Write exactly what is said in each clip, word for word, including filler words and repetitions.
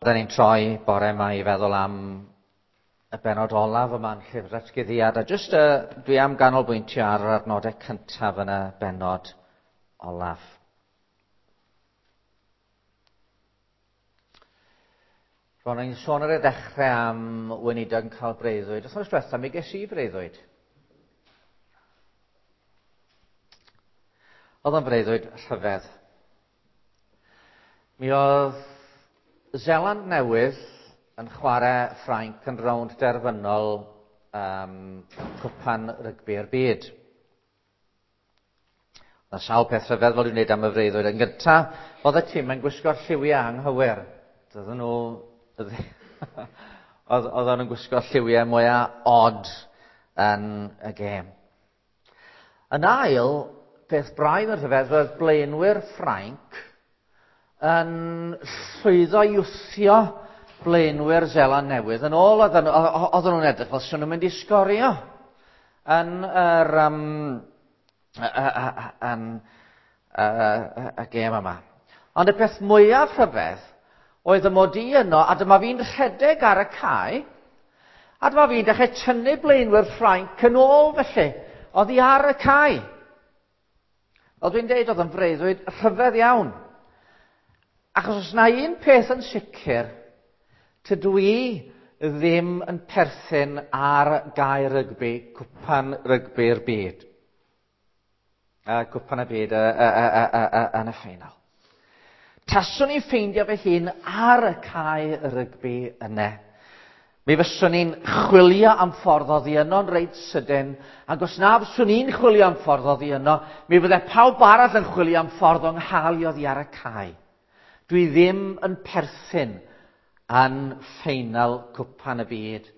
Da ni'n troi bore yma i feddwl am y bennod olaf yma'n Llyfr Datguddiad, a jyst uh, dwi am ganolbwyntio ar yr adnodau cyntaf yn y bennod olaf. Ro'n i'n sôn ar y dechrau am weinidog yn cael breuddwyd. Wythnos diwetha mi ges i breuddwyd. Oedd o'n breuddwyd rhyfedd. Mi oedd Seland Newydd yn chwarae Ffrainc yn rownd derfynol um, cwpan rygbi'r byd. Oedd sawl peth rhyfedd fel dwi'n wneud am y freuddwyd. Yn gyntaf, oedd y tîm yn gwisgo'r lliwiau anghywir. Doedden nhw... oedd, oedd nhw'n gwisgo lliwiau mwyaf odd yn y gêm. Yn ail, peth braidd yn rhyfedd oedd blaenwyr Ffrainc yn llwyddo i wthio blaenwyr Seland Newydd. Yn ôl, oedden nhw'n edrych fel sy'n nhw'n mynd i sgorio yn yr, um, yn, y, y gêm yma. Ond y peth mwyaf rhyfedd oedd y mod i yno, a dyma fi'n rhedeg ar y cae, a dyma fi'n dechrau tynnu blaenwyr Ffrainc yn ôl felly, oddi ar y cae. Fel dwi'n deud, oedd yn freuddwyd rhyfedd iawn. Achos os na un peth yn sicr, tydw i ddim yn perthyn ar gae rygbi, cwpan rygbi'r byd. A cwpan y byd yn y ffeinal. Taswn i'n ffeindio fy hun ar y cae rygbi yna. Mi fyswn i'n chwilio am ffordd oddi yno'n reit sydyn, ac os na fyswn i'n chwilio am ffordd oddi yno, mi fydde pawb arall yn chwilio am ffordd o'n nghael i oddi ar y cae. Dwi ddim yn perthyn yn ffeinal cwpan y byd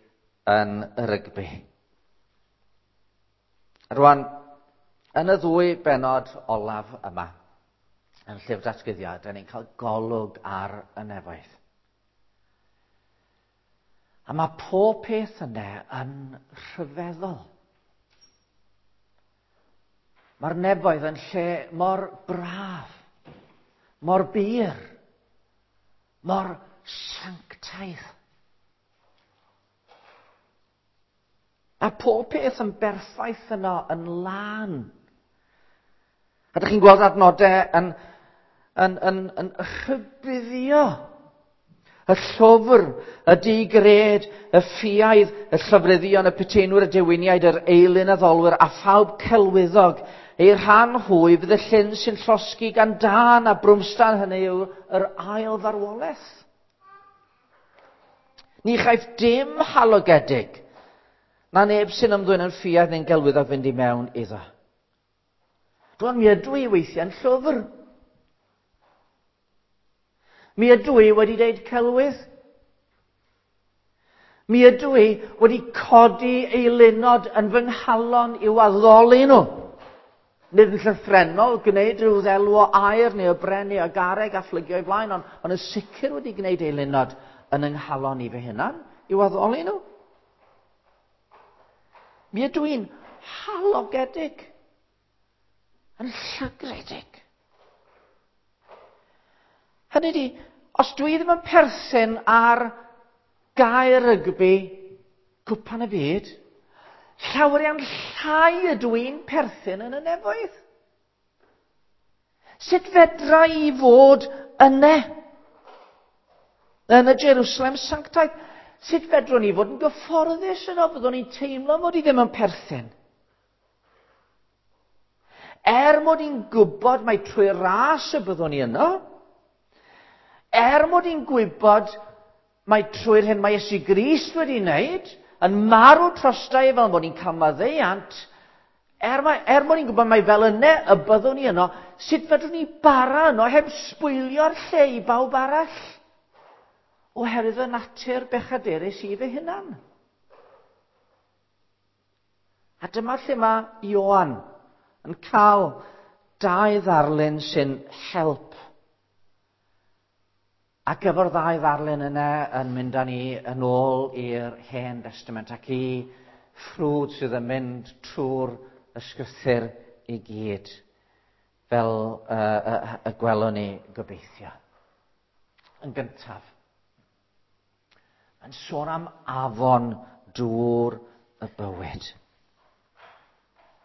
yn y rygbi. Rwan, yn y ddwy bennod olaf yma, yn Llyfr Datguddiad, da ni'n cael golwg ar y nefoedd. A mae pob peth yna yn rhyfeddol. Mae'r nefoedd yn lle mor braf, mor bur, mor sanctaidd. A pob peth yn berffaith yno, yn lân. A dych chi'n gweld adnodau yn, yn, yn, yn rhybuddio. Y llwfr, y digred, y ffiaidd, y llofruddion, y puteinwyr, y dewiniaid, yr eilun addolwyr, a phawb celwyddog. Ei rhan hwy fydd y llyn sy'n llosgi gan dân a brwmstan, hynny yw yr ail farwolaeth. Ni chaiff dim halogedig, na neb sy'n ymddwyn yn ffiaidd neu'n gelwyddog fynd i mewn iddo. Rwan, mi ydw i weithiau'n llwfr. Mi ydw i wedi deud celwydd. Mi ydw i wedi codi eilunod yn fy nghalon i'w addoli nhw. Nid yn llythrennol gwneud rhyw ddelw o aur neu o bren neu o garreg a phlygio i flaen, ond, ond yn sicr wedi gwneud eilunod yn yng nghalon i fy hunan i'w addoli nhw. Mi ydw i'n halogedig, yn llygredig. Hynny ydi, os dwi ddim yn perthyn ar gae rygbi cwpan y byd, llawer iawn llai ydw i'n perthyn yn y nefoedd. Sut fedra i fod yne? Yn y Jerusalem sanctaidd? Sut fedrwn ni fod yn gyfforddus yno? Fyddwn ni'n teimlo mod i ddim yn perthyn. Er mod i'n gwybod mai trwy ras y byddwn ni yno, er mod i'n gwybod mai trwy'r hyn mae Iesu Grist wedi wneud, yn marw trosta i fel mod i'n cael maddeuant, er, mae, er mod i'n gwybod mai fel yna y byddwn ni yno, sut fedrwn ni bara yno heb sbwylio'r lle i bawb arall? Oherwydd y natur bechadurus i fy hunan. A dyma lle mae Ioan yn cael dau ddarlun sy'n help. Ac efo'r ddau ddarlun yna yn mynd â ni yn ôl i'r Hen Destament ac i ffrwd sydd yn mynd trwy'r ysgrythur i gyd, fel uh, y, y gwelwn ni gobeithio. Yn gyntaf, yn sôn am afon dŵr y bywyd.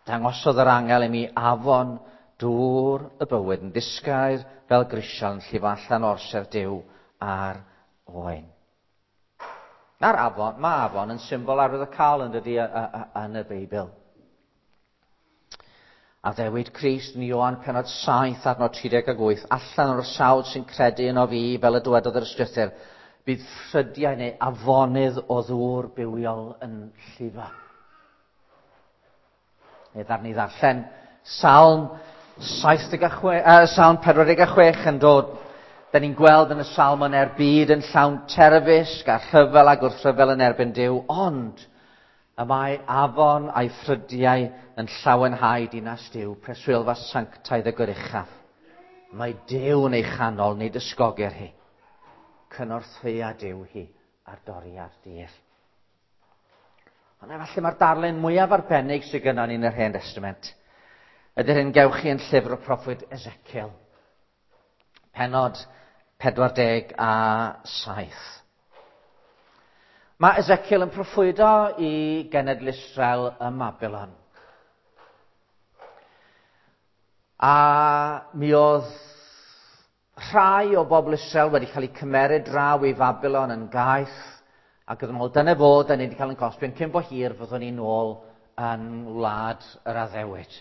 Dangosodd yr angel i mi afon dŵr y bywyd yn ddisgair fel grisial yn llifo allan o'r orsedd Duw a'r Oen. Na'r afon, mae afon yn symbol arwyddocaol yn dydi yn y Beibl. Addewid Crist yn Ioan pennod saith adnod tri deg wyth, allan o'r sawl sy'n credu yno fi, fel y dywedodd yr Ysgrythur, bydd ffrydiau neu afonydd o ddŵr bywiol yn llifo. Neu ddarn ni ddarllen Salm saith deg chwe, uh, Salm pedwar deg chwech yn dod. Da ni'n gweld yn y salm yn er byd yn llawn terfysg a rhyfel a gwrthryfel yn erbyn Duw, ond y mae afon a'i ffrydiau yn llawenhau dinas Duw, preswylfa sanctaidd y Goruchaf. Mae Duw yn ei chanol, nid ysgogir hi. Cynorthwya Duw hi ar doriad dydd. Ond efallai mae'r darlun mwyaf arbennig sydd gynnon ni yn yr Hen Testament ydy'r hyn gewch chi yn llyfr y proffwyd Ezekiel, pennod pedwar deg a saith. Mae Ezekiel yn proffwydo i genedl Israel ym Mabilon. A mi oedd rhai o bobl Israel wedi cael eu cymeryd draw i Fabilon yn gaeth, ac oedden nhw'n meddwl, dyna fo, da ni wedi cael yn cosbi, ond cyn bo hir fyddwn ni'n ôl yn wlad yr addewid.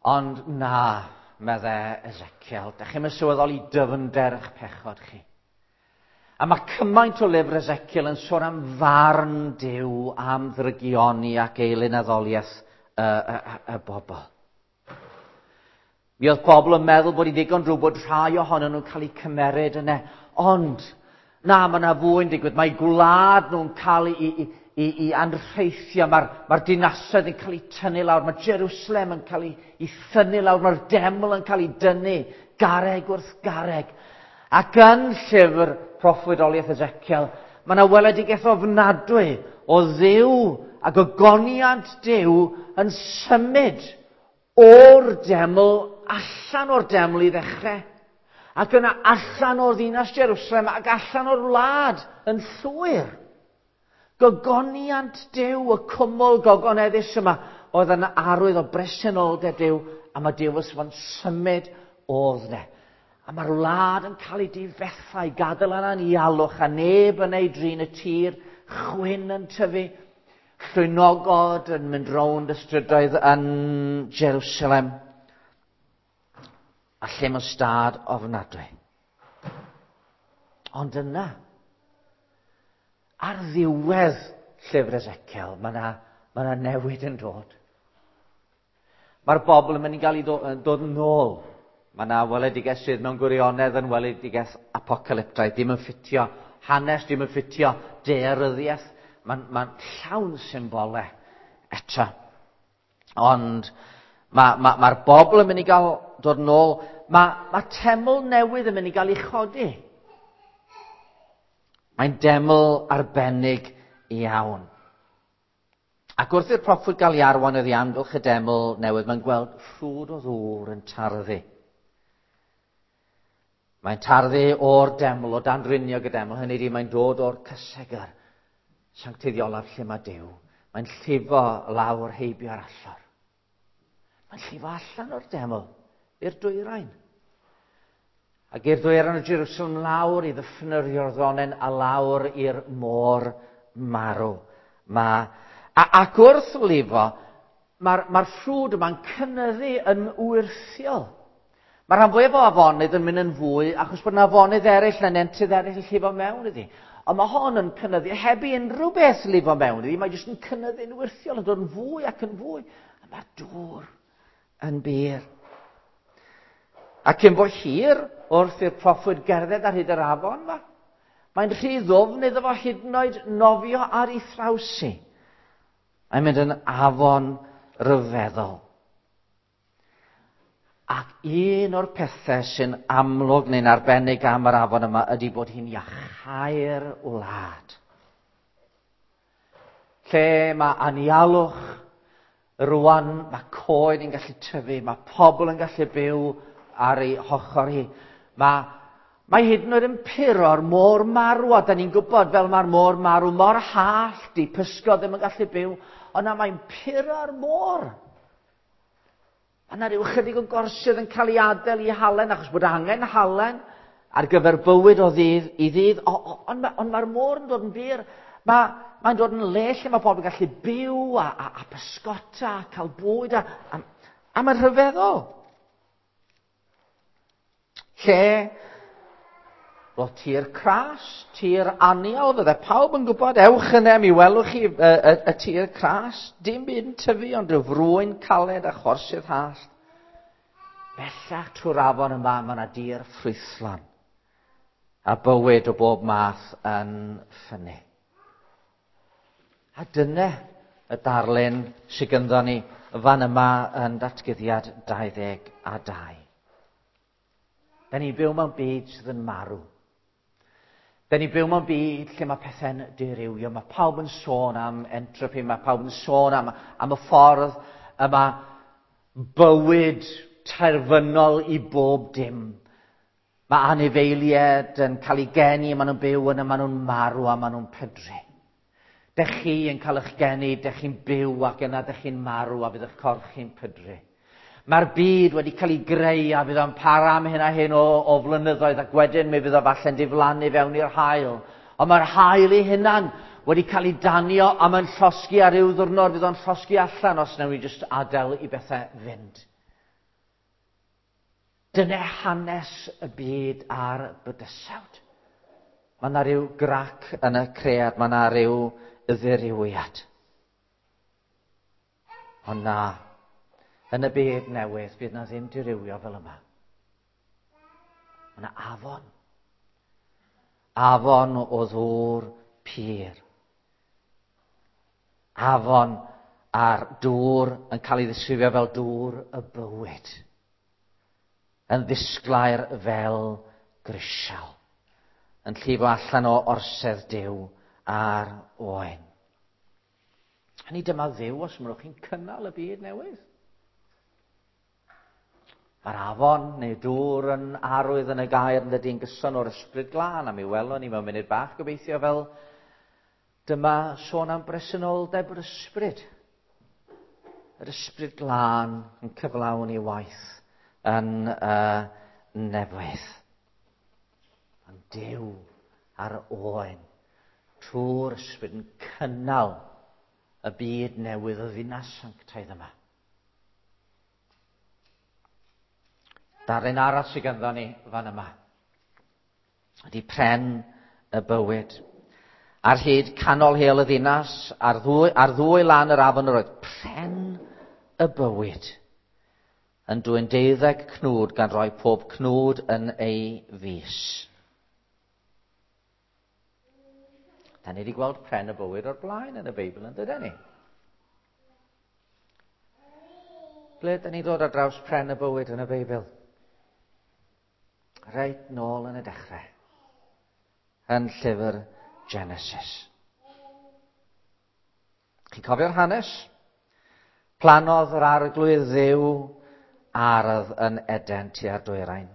Ond na, medde Ezekiel, da chi'm yn sylweddoli dyfnder eich pechod chi. A mae cymaint o lyfr Ezekiel yn sôn am farn Duw, am ddrygioni ac eilunaddoliaeth y, y, y, y bobl. Mi oedd bobl yn meddwl bod hi'n ddigon drwg bod rhai ohonyn nhw'n cael eu cymeryd yna. Ond, na, mae yna fwy'n digwydd. Mae gwlad nhw'n cael ei, ei, ei, ei anrheithio. Mae'r mae dinasoedd yn cael eu tynnu lawr. Mae Jerusalem yn cael ei, ei thynnu lawr. Mae'r deml yn cael ei dynnu, garreg wrth garreg. Ac yn llyfr proffwydoliaeth Ezekiel, mae yna weledigaeth ofnadwy o Dduw ac ogoniant Duw yn symud o'r deml, allan o'r deml i ddechrau, ac yna allan o'r ddinas Jerusalem ac allan o'r wlad yn llwyr. Gogoniant Duw, y cwmwl gogoneddus yma, oedd yn arwydd o bresenoldeb Duw, a mae Duw wrth symud odd ne. A mae'r wlad yn cael ei difetha, i gadael yna'n ialwch, a neb yn ei drin y tir, chwyn yn tyfu, llwynogod yn mynd rownd y strydoedd yn Jerusalem, a lle mewn stad ofnadwy. Ond yna, ar ddiwedd llyfr Ezekiel, mae yna mae yna newid yn dod. Mae'r bobl yn mynd i gael ei dod yn ôl. Mae yna weledigaeth sydd mewn gwirionedd yn weledigaeth apocalyptaidd, ddim yn ffitio hanes, ddim yn ffitio daearyddiaeth. Mae'n ma llawn symbolau eto. Ond mae'r ma, ma bobl yn mynd i gael dod yn ôl. Mae ma teml newydd yn mynd i gael ei chodi. Mae'n deml arbennig iawn. Ac wrth i'r proffwyd gael ei arwain oddi amgylch y deml newydd, mae'n gweld ffrwd o ddŵr yn tarddu. Mae'n tarddu o'r deml, o dan riniog y deml, hynny ydi mae'n dod o'r cysegr sancteiddiolaf lle mae Duw. Mae'n llifo lawr heibio'r allor. Mae'n llifo allan o'r deml i'r dwyrain. Ac i'r dwyrain o Jerusalem lawr i ddyffryn yr Iorddonen a lawr i'r môr marw. Ma, a, ac wrth lifo, mae'r ma ffrwd yma'n cynyddu yn wyrthiol. Mae'r rhan fwyaf o afonydd yn mynd yn fwy achos bod yna afonydd eraill neu nentydd eraill yn llifo mewn iddi. Ond mae hon yn cynyddu heb i unrhyw beth lifo mewn iddi. Mae jyst yn cynyddu'n wyrthiol, yn dod yn fwy ac yn fwy. A mae'r dŵr yn bur. A cyn bo hir, wrth i'r proffwyd gerdded ar hyd yr afon yma, mae'n rhy ddwfn iddo fo hyd yn oed nofio ar ei thraws hi. Mae'n mynd yn afon ryfeddol. Ac un o'r pethau sy'n amlwg neu'n arbennig am yr afon yma ydy bod hi'n iachau'r wlad. Lle mae anialwch, rwan mae coed yn gallu tyfu, mae pobl yn gallu byw ar ei hochr hi. Mae, Mae hyd yn oed yn puro'r môr marw, a da ni'n gwybod fel mae'r môr marw mor hallt, di pysgod ddim yn gallu byw, ond na mae'n puro'r môr. Mae yna ryw chydig o gorsydd yn cael ei adael i halen, achos bod angen halen ar gyfer bywyd o ddydd i ddydd, ond ma, ond mae'r môr yn dod yn bur. Mae, mae'n dod yn le lle mae pobl yn gallu byw a, a, a pysgota, a cael bwyd, a, a, a mae'n rhyfeddol. Lle roedd tir cras, tir anial, fydde pawb yn gwybod, ewch yna, mi welwch chi y, y, y tir cras, dim byd yn tyfu, ond rhyw frwyn caled a chorsydd hallt. Bellach trwy'r afon yma, mae yna dir ffrwythlon a bywyd o bob math yn ffynnu. A dyna y darlun sydd gynddon ni fan yma yn datguddiad dau ddeg a dau. Da ni'n byw mewn byd sydd yn marw. Da ni'n byw mewn byd lle mae pethau'n dirywio. Mae pawb yn sôn am entropy, mae pawb yn sôn am, am y ffordd yma bywyd terfynol i bob dim. Mae anifeiliaid yn cael eu geni, maen nhw'n byw yna, maen nhw'n marw a maen nhw'n pydru. Dech chi yn cael eich geni, dech chi'n byw ac yna dech chi'n marw a fydd eich corff chi'n pydru. Mae'r byd wedi cael ei greu a fydd o'n para am hyn a hyn o, o flynyddoedd ac wedyn mi fydd o falle'n diflannu fewn i'r haul. Ond mae'r haul ei hunan wedi cael ei danio a mae'n llosgi ar ryw ddiwrnod, fydd o'n llosgi allan os wnawn ni jyst adael i bethau fynd. Dyna hanes y byd a'r bydysawd. Mae yna ryw grac yn y cread, mae yna ryw ddirywiad. Ond na, yn y byd newydd, bydd na ddim dirywio fel yma. Mae yna afon. Afon o ddŵr pur. Afon a'r dŵr yn cael ei ddisgrifio fel dŵr y bywyd. Yn ddisglair fel grisial. Yn llifo allan o orsedd Duw a'r oen. Hynny dyma Dduw os mynnwch chi'n cynnal y byd newydd. Mae'r afon neu dŵr yn arwydd yn y gair yn dydy'n gyson o'r ysbryd glân, a mi welwn ni mewn munud bach gobeithio fel dyma sôn am bresenoldeb yr ysbryd. Yr ysbryd glân yn cyflawn ei waith yn uh, nefoedd. Ond Duw a'r oen trwy'r ysbryd yn cynnal y byd newydd, y ddinas sanctaidd yma. Darlun arall sydd ganddo ni fan yma ydy pren y bywyd. Ar hyd canol heol y ddinas, ar ddwy, ar ddwy lan yr afon yr oedd pren y bywyd yn dwyn deuddeg cnwd gan roi pob cnwd yn ei fus. Da ni wedi gweld pren y bywyd o'r blaen yn y Beibl, yn dydyn ni? Ble da ni ddod ar draws pren y bywyd yn y Beibl? Reit nôl yn y dechrau, yn llyfr Genesis. Chi'n cofio'r hanes? Plannodd yr arglwydd Dduw ardd yn Eden tua'r dwyrain.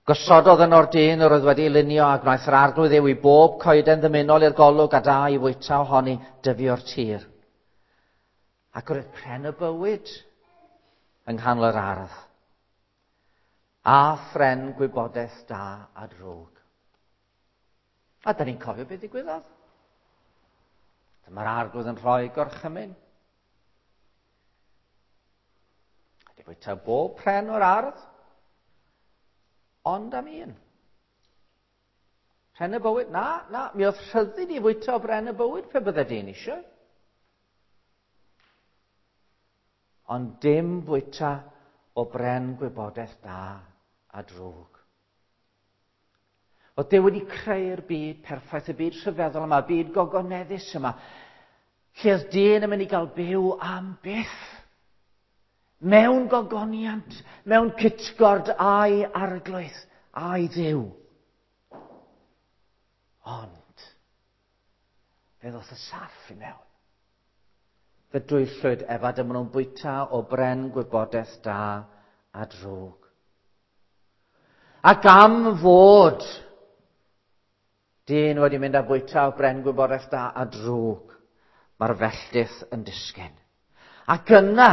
Gosododd yno'r dyn yr oedd wedi lunio a gwnaeth yr arglwydd Dduw i bob coeden ddymunol i'r golwg a da i fwyta ohoni dyfu o'r tir. Ac roedd pren y bywyd yng nghanol yr ardd. A phren gwybodaeth da a drwg. A da ni'n cofio beth ddigwyddodd. Dyma'r arglwydd yn rhoi gorchymyn. Ydy fwyta bob pren o'r ardd, ond am un. Pren y bywyd? Na, na, mi oedd rhyddid i fwyta o bren y bywyd pe bydde dyn eisiau. Ond dim fwyta o bren gwybodaeth da a drwg. Oedd Duw wedi creu'r byd perffaith, y byd rhyfeddol yma, y byd gogoneddus yma, lle oedd dyn yn mynd i gael byw am byth. Mewn gogoniant, mewn cytgord a'i arglwydd, a'i Dduw. Ond, fe ddoth y sarff i mewn. Fe dwyllwyd ef a dyma nhw'n bwyta o bren gwybodaeth da a drwg. Ac am fod dyn wedi mynd a bwyta o bren gwybodaeth da a drwg, mae'r felltith yn disgyn. Ac yna,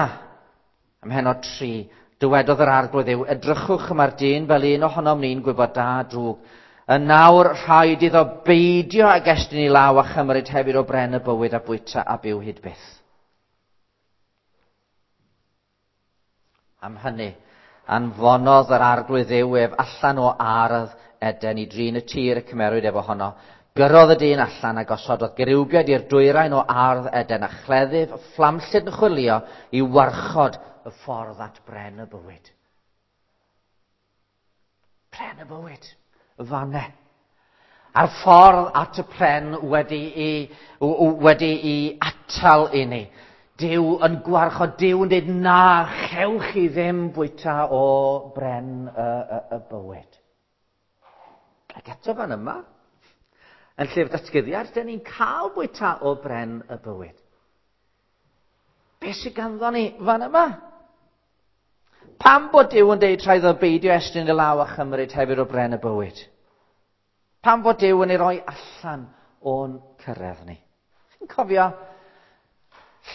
ym mhennod tri, dywedodd yr Arglwydd Dduw, edrychwch, mae'r dyn fel un ohonom ni'n gwybod da a drwg. Yn nawr rhaid iddo beidio ag estyn ei law a chymryd hefyd o bren y bywyd a bwyta a byw hyd byth. Am hynny, anfonodd yr Arglwydd Dduw ef allan o ardd Eden i drin y tir y cymerwyd ef ohono. Gyrrodd y dyn allan a gosododd gerubiaid i'r dwyrain o ardd Eden a chleddyf fflamllyd yn chwilio i warchod y ffordd at bren y bywyd. Pren y bywyd, y fanne. A'r ffordd at y pren wedi i, wedi i atal i ni. Duw yn gwarchod, Duw yn dweud na, chewch chi ddim bwyta o bren y, y, y bywyd. Ac eto fan yma, yn llyfr Datguddiad, dyn ni'n cael bwyta o bren y bywyd. Be sydd ganddo ni fan yma? Pam bod Duw yn deud rhaid o beidio estyn y law a chymryd hefyd o bren y bywyd? Pam fod Duw yn ei roi allan o'n cyrraedd ni? Chi'n cofio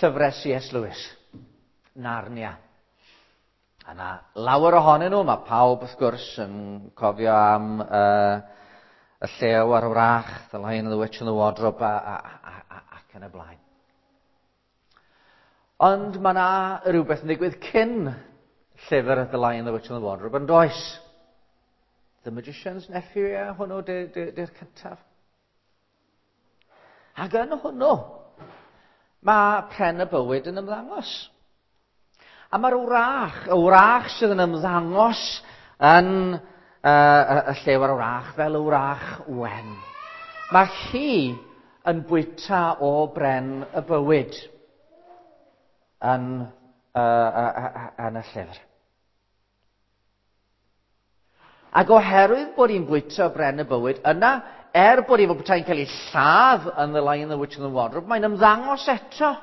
llyfrau C S Lewis, Narnia? A na lawer ohonyn nhw, mae pawb wrth gwrs yn cofio am uh, y llew a'r wrach, The Lion, the Witch and the Wardrobe, a, a, a, a, ac yn y blaen. Ond mae yna rhywbeth yn digwydd cyn llyfr The Lion, the Witch and the Wardrobe, yn does? The Magician's Nephew, ie, hwnnw di'r cyntaf. Ac yn hwnnw, mae pren y bywyd yn ymddangos. A mae'r wrach, y wrach sydd yn ymddangos yn uh, y llew a'r wrach fel y wrach wen. Mae hi yn bwyta o bren y bywyd yn, uh, uh, uh, yn y llyfr. Ac oherwydd bod hi'n bwyta o bren y bywyd, yna, er bod hi fel petai'n cael ei lladd yn The Lion, the Witch and the Wardrobe, mae'n ymddangos eto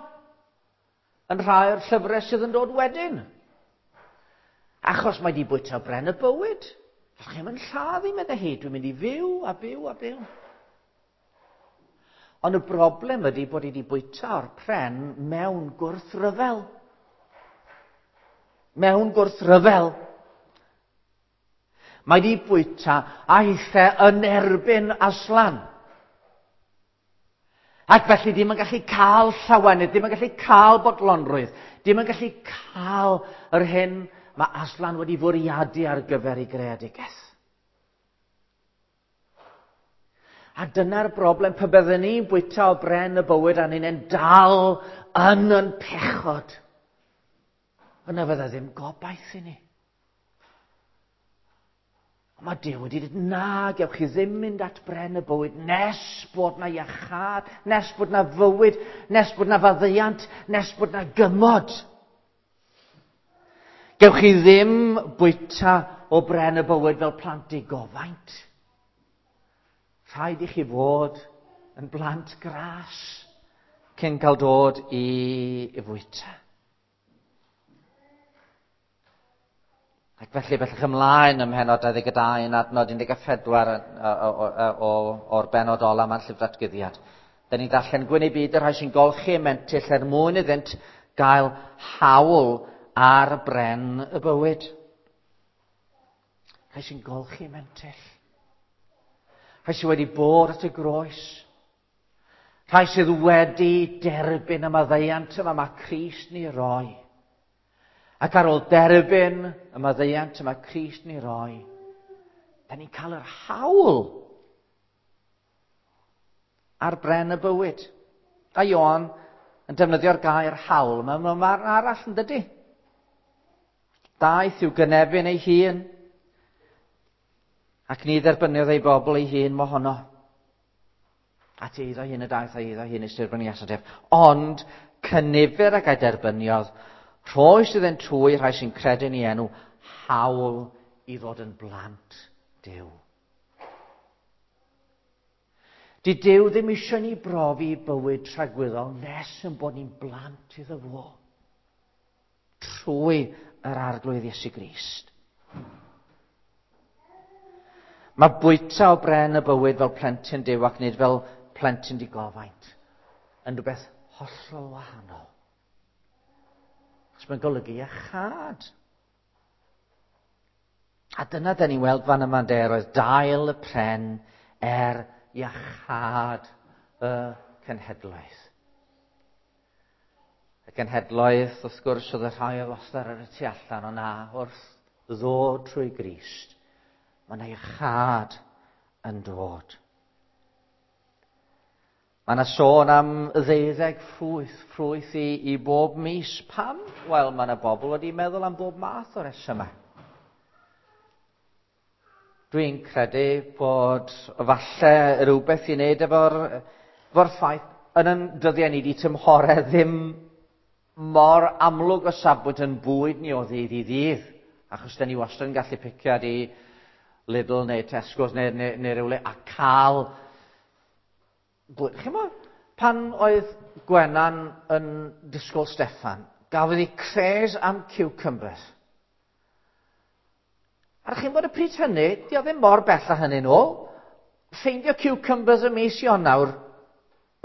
yn rhai o'r llyfrau sydd yn dod wedyn. Achos mae di bwyta bren y bywyd. Allwch chi'm yn lladd i, meddai hi, dwi'n mynd i fyw a byw a byw. Ond y broblem ydy bod hi wedi bwyta o'r pren mewn gwrthryfel. Mewn gwrthryfel. Mae di bwyta a hithe yn erbyn Aslan. Ac felly ddim yn gallu cael llawenydd, ddim yn gallu cael bodlonrwydd, ddim yn gallu cael yr hyn mae Aslan wedi fwriadu ar gyfer ei greadigaeth. A dyna'r broblem, pe byddwn ni'n bwyta o bren y bywyd a ni'n dal yn yn pechod, yna fydda ddim gobaith i ni. Mae Duw wedi dweud, na, gewch chi ddim mynd at bren y bywyd nes bod na iachâd, nes bod na fywyd, nes bod na faddeuant, nes bod na gymod. Gewch chi ddim bwyta o bren y bywyd fel plant digofaint. Rhaid i chi fod yn blant gras cyn cael dod i, i fwyta. Ac felly, bellach ymlaen ym mhennod dau ddeg dau yn adnod un deg pedwar o'r bennod ola ma'n llyfr Datguddiad. Da ni'n darllen gwyn eu byd y rhai sy'n golchi y mentyll er mwyn iddynt gael hawl ar bren y bywyd. Rhai sy'n golchi y mentyll. Rhai sydd wedi bod at y groes. Rhai sydd wedi derbyn y maddeuant yma mae Crist ni roi. Ac ar ôl derbyn y maddeuant yma Crist ni roi, da ni'n cael yr hawl ar bren y bywyd. A Ioan yn defnyddio'r gair hawl mewn marn arall, yn dydy? Daeth i'w gynefin ei hun, ac ni dderbyniodd ei bobl ei hun mohono. At eiddo hun y daeth a eiddo hun ei derbyniasant ef. Ond cynifer ag ei derbyniodd, rhoes iddynt trwy rhai sy'n credu yn ei enw, hawl i ddod yn blant Duw. Di Duw ddim eisiau ni brofi bywyd tragwyddol nes yn bod ni'n blant iddo fo. Trwy yr Arglwydd Iesu Grist. Mae bwyta o bren y bywyd fel plentyn Duw ac nid fel plentyn digofaint yn rhywbeth hollol wahanol. Achos mae'n golygu iachâd. A dyna dyn ni'n weld fan yma de, roedd dail y pren er iachâd y cenhedloedd. Y cenhedloedd, wrth gwrs, oedd y rhai oedd wastad ar y tu allan, ond na, wrth ddod trwy Grist, mae yna iachâd yn dod. Mae yna sôn am ddeuddeg ffrwyth, ffrwyth i, i bob mis. Pam? Wel, mae yna bobl wedi meddwl am bob math o resymau. Dwi'n credu bod falle rhywbeth i wneud efo'r efo ffaith yn yn dyddiau ni di tymhorau ddim mor amlwg o safbwynt yn bwyd ni o ddydd i ddydd. Achos da ni wastad yn gallu picio i Lidl neu Tesco's neu, neu, neu rywle a cael bwyd. Chi'mo, pan oedd Gwenan yn disgwyl Steffan, gafodd hi craze am cucumbers. A chi'n bod y pryd hynny, di o ddim mor bell â hynny nôl. Ffeindio cucumbers ym mis Ionawr,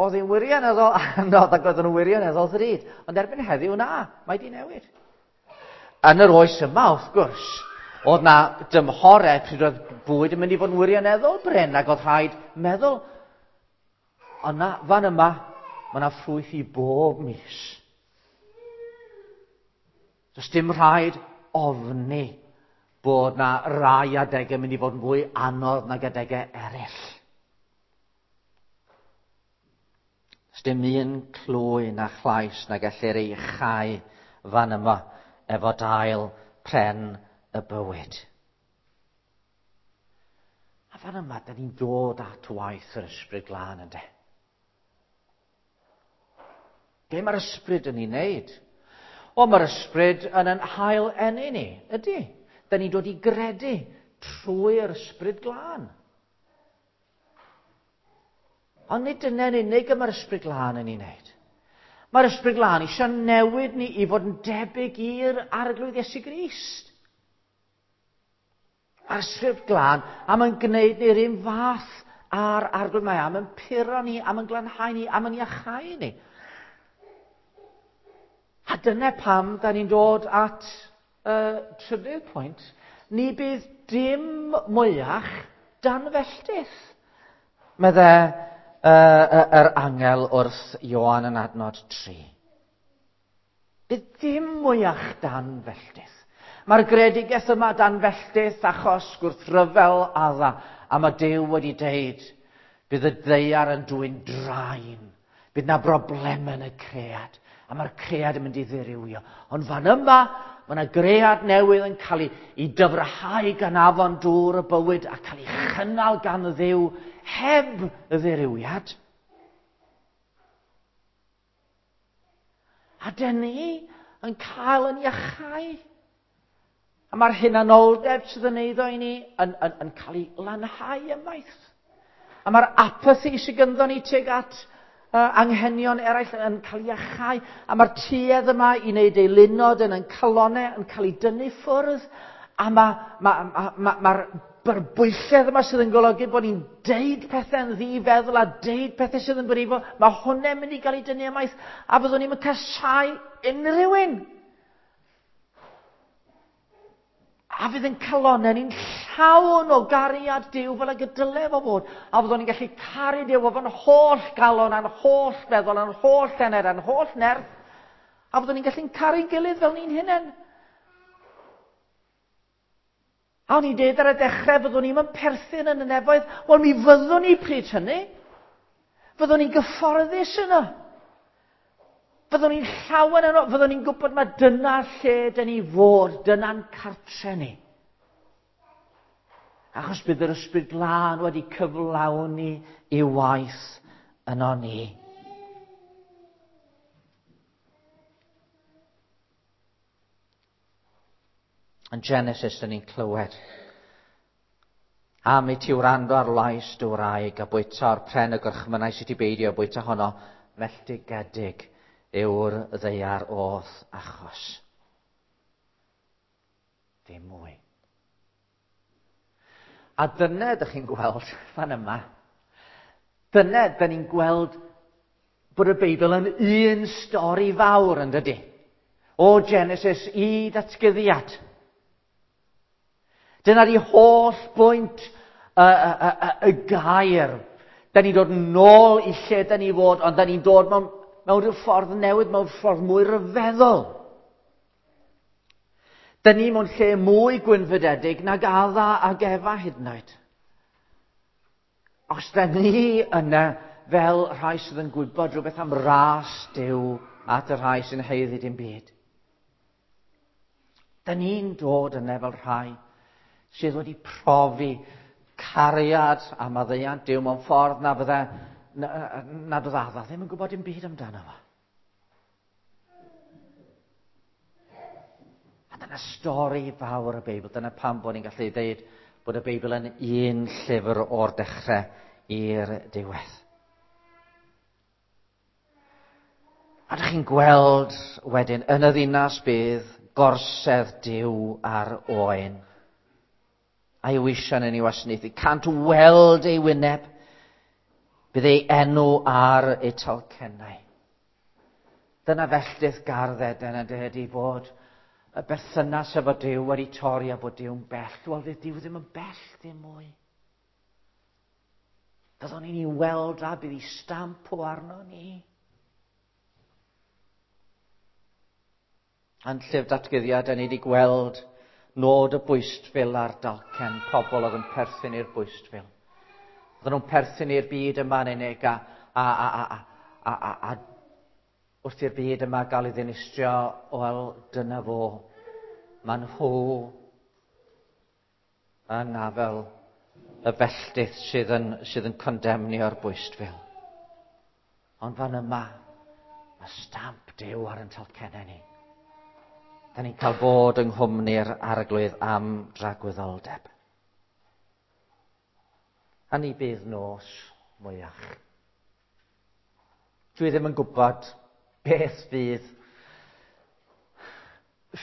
oedd hi'n wirioneddol anodd ac oedd nhw'n wirioneddol ddrud. Ond erbyn heddiw, na, mae di newid. Yn yr oes yma, wrth gwrs, oedd na dymhorau pryd oedd bwyd yn mynd i fod yn wirioneddol brin ac oedd rhaid meddwl. Ond na, fan yma, mae yna ffrwyth i bob mis. Does dim rhaid ofni bod na rai adegau yn mynd i fod yn fwy anodd nag adegau eraill. Does dim un clwy na chlais na gellir ei chau fan yma efo dail pren y bywyd. A fan yma, da ni'n dod at waith yr Ysbryd Glân ynde. Be mae'r Ysbryd yn ei wneud? O, mae'r Ysbryd yn yn hail eni ni, ydy. Da ni'n dod i gredu trwy'r Ysbryd Glân. Ond nid dyna'n unig y mae'r Ysbryd Glân yn ei wneud. Mae'r Ysbryd Glân eisiau newid ni i fod yn debyg i'r Arglwydd Iesu Grist. Mae'r Ysbryd Glân am yn gwneud ni'r un fath â'r Arglwydd. Mae am yn puro ni, am yn glanhau ni, am yn iachau ni. A dyna pam da ni'n dod at y uh, trydydd pwynt. Ni bydd dim mwyach dan felltith, medde uh, yr angel wrth Ioan yn adnod tri. Bydd dim mwyach dan felltith. Mae'r gredigaeth yma dan felltith achos gwrthryfel Adda, a mae Duw wedi deud, bydd y ddaear yn dwyn draen, bydd na broblemau yn y cread, a mae'r cread yn mynd i ddirywio. Ond fan yma, mae yna gread newydd yn cael ei, ei dyfrhau gan afon dŵr y bywyd a cael ei chynnal gan y Dduw heb y ddirywiad. A dyn ni yn cael yn iachau. A mae'r hunanoldeb sydd yn eiddo i ni yn, yn, yn cael ei lanhau ymaith. A mae'r apathy sydd ganddo ni tuag at uh, anghenion eraill yn cael ei iachau. A mae'r tuedd yma i wneud eilunod yn ein calonau yn cael ei dynnu ffwrdd. A mae'r ma, ma, ma, ma byrbwylledd yma sydd yn golygu bod ni'n deud pethau'n ddifeddwl a deud pethau sydd yn brifo, mae hwnna'n mynd i gael ei dynnu ymaith, a fyddwn ni'n casáu unrhyw un. A fydd yn calonau ni'n llawn o gariad Duw fel ag y dyle fo fod. A fyddwn ni'n gallu caru Duw efo'n holl galon, a'n holl feddwl, a'n holl enaid, a'n holl nerth. A fyddwn ni'n gallu'n caru'n gilydd fel ni'n hunain. A o'n i'n deud ar y dechrau, fyddwn ni'n perthyn yn y nefoedd. Wel, mi fyddwn ni pryd hynny. Fyddwn ni'n gyfforddus yno. Fyddwn ni'n llawen yno. Fyddwn ni'n gwybod mae dyna lle dyn ni fod, dyna'n cartre ni. Achos bydd yr Ysbryd Glân wedi cyflawni ei waith yno ni. Yn Genesis, dyn ni'n clywed am i ti wrando ar lais dy wraig a bwyta o'r pren y gorchmynnau sydd ti beidio bwyta honno, melltigedig yw'r ddaear o'th achos. Dim mwy. A dyna ydych chi'n gweld fan yma. Dyna dyn ni'n gweld bod y Beibl yn un stori fawr yn dydy. O Genesis i Ddatguddiad. Dyna di holl bwynt y, y, y, y gair. Da ni'n dod nôl i lle da ni fod, ond da ni'n dod mewn, mewn rhyw ffordd newydd, mewn ffordd mwy ryfeddol. Da ni mewn lle mwy gwynfydedig nag Adda ag Efa hyd yn oed. Os da ni yna fel rhai sydd yn gwybod rhywbeth am ras Duw at y rhai sy'n haeddu dim byd. Da ni'n dod yna fel rhai sydd wedi profi cariad a maddeuant Duw mewn ffordd na fydde, na, nad oedd Adda ddim yn gwybod dim byd amdano fo. A dyna stori fawr y Beibl. Dyna pam bod ni'n gallu dweud bod y Beibl yn un llyfr o'r dechrau i'r diwedd. A dych chi'n gweld wedyn yn y ddinas bydd gorsedd Duw ar oen. A'i weision yn ei wasanaethu. Cant weld ei wyneb. Bydd ei enw ar ei talcennau. Dyna felltith gardd Eden yn dydy bod y berthynas efo Duw wedi torri a bod Duw'n bell. Wel, fydd Duw ddim yn bell ddim mwy. Byddwn ni'n ei weld a bydd ei stamp o arno ni. Yn llyfr Datguddiad, da ni wedi gweld nod y bwystfil a'r dalcen, pobl oedd yn perthyn i'r bwystfil. Oedden nhw'n perthyn i'r byd yma yn unig a, a, a, a, a, a, a wrth i'r byd yma gael ei ddinistrio, wel, dyna fo. Maen nhw yng ngafel y felltith sydd yn, sydd yn condemnio'r bwystfil. Ond fan yma, mae stamp Duw ar yn talcennau ni. Da ni'n cael bod yng nghwmni'r Arglwydd am dragwyddoldeb. A ni bydd nos mwyach. Dwi ddim yn gwybod beth fydd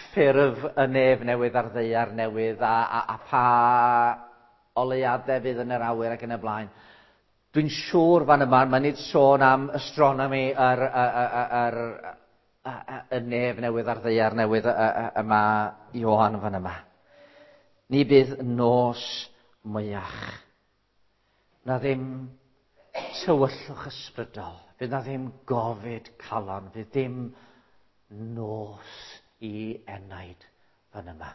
ffurf y nef newydd a'r ddaear newydd a, a, a pa oleuadau fydd yn yr awyr ac yn y blaen. Dwi'n siŵr fan yma, mae nid sôn am astronomy yr, yr, yr, yr, y nef newydd a'r ddaear newydd yma Ioan fan yma. Ni bydd nos mwyach. Na ddim tywyllwch ysbrydol. Fydd na ddim gofid calon. Fydd ddim nos i enaid fan yma.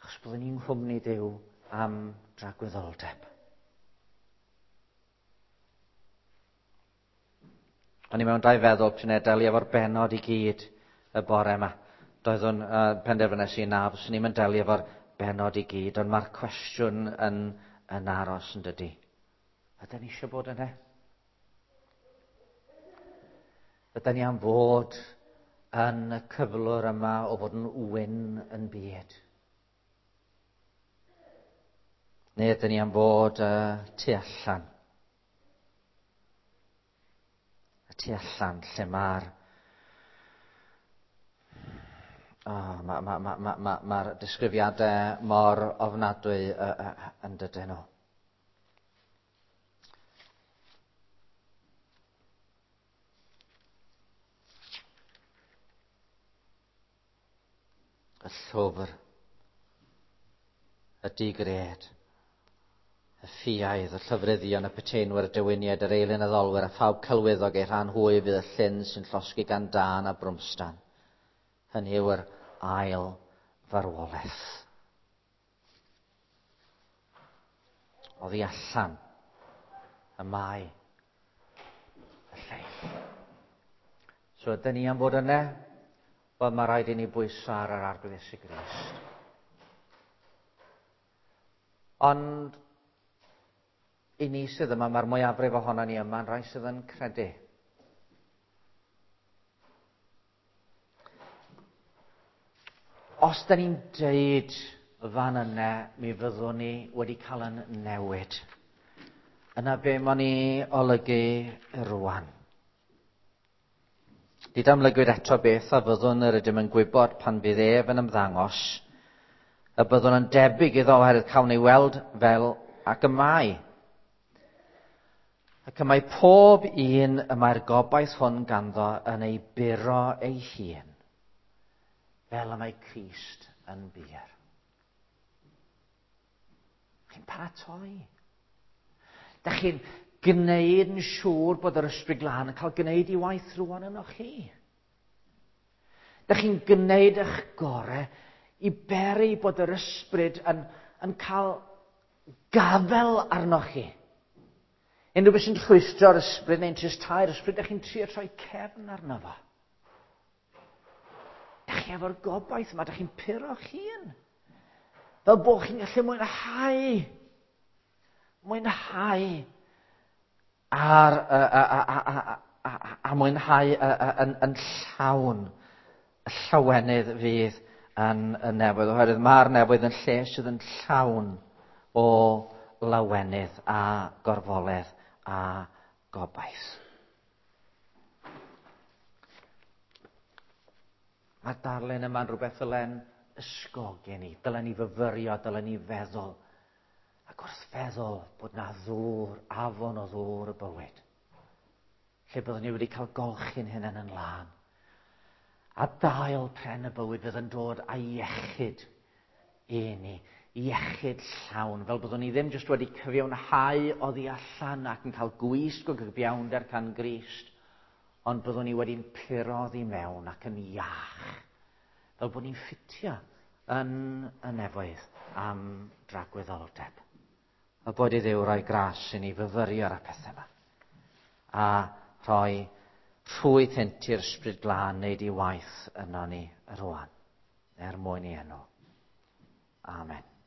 Achos byddwn ni'n nghwmni Duw am dragwyddoldeb. O'n i mewn dau feddwl pryd wnes i delio efo'r bennod i gyd y bore yma. Doeddwn uh, penderfynais i na, fyswn i'n delio efo'r bennod i gyd, ond mae'r cwestiwn yn, yn aros yn dydy. Ydyn ni eisiau bod yna? Ydyn ni am fod yn y cyflwr yma o fod yn wyn yn byd? Neu ydyn ni am fod uh, tu allan? Y tu allan lle mae'r oh, ma, ma, ma, ma, ma, mae'r disgrifiadau mor ofnadwy uh, uh, yn dydyn nhw. Y llwfr, y digred, y ffiaidd, y llyfryddion, y peteinwyr, y dewiniaid, yr eilunaddolwyr, a phawb celwyddog eu rhan hwy fydd y llyn sy'n llosgi gan dân a brwmstan. Hynny yw'r ail farwolaeth. Oddi allan y mae y lleill. So ydyn ni am fod yna? Wel, mae rhaid i ni bwyso ar yr Arglwydd Iesu Grist. Ond i ni sydd yma, mae'r mwyafrif ohono ni yma yn rhai sydd yn credu. Os da ni'n deud fan yna, mi fyddwn ni wedi cael yn newid. Yna be ma'n ni olygu rwan. Nid amlygwyd eto beth a fyddwn yr ydym yn gwybod pan fydd ef yn ymddangos, y byddwn yn debyg iddo oherwydd cawn ei weld fel ac y mae. Ac y mae pob un y mae'r gobaith hwn ganddo yn ei buro ei hun, fel y mae Crist yn bur. Chi'n paratoi. Da chi'n gwneud yn siŵr bod yr Ysbryd Glân yn cael gwneud ei waith rwan yno chi. Da chi'n gwneud eich gorau i beri bod yr ysbryd yn, yn cael gafel arnoch chi. Unrhyw beth sy'n rhwystro'r ysbryd neu'n tristau'r ysbryd, da chi'n trio troi cefn arno fo. Da chi efo'r gobaith yma, da chi'n puro'ch hun. Fel bod chi'n gallu mwynhau, mwynhau ar, a, a, a, a, a, a mwynhau yn, yn llawn y llawenydd fydd yn y nefoedd, oherwydd mae'r nefoedd yn lle sydd yn llawn o lawenydd a gorfoledd a gobaith. Mae'r darlun yma'n rhywbeth ddylen ysgogi ni, dylen ni fyfyrio, dylen ni feddwl. Ac wrth feddwl bod na ddŵr, afon o ddŵr y bywyd, lle byddwn ni wedi cael golchi'n hunain yn lân. A dail pren y bywyd fydd yn dod â iechyd i ni, iechyd llawn, fel byddwn ni ddim jyst wedi cyfiawnhau oddi allan ac yn cael gwisg o gyfiawnder gan Grist, ond byddwn ni wedi'n puro oddi mewn ac yn iach, fel bod ni'n ffitio yn y nefoedd am dragwyddoldeb. A bod i Dduw roi gras i ni fyfyrio ar y pethau yma, a rhoi rhwydd hynt i'r Ysbryd Glân wneud ei waith yno ni rwan, er mwyn i enw. Amen.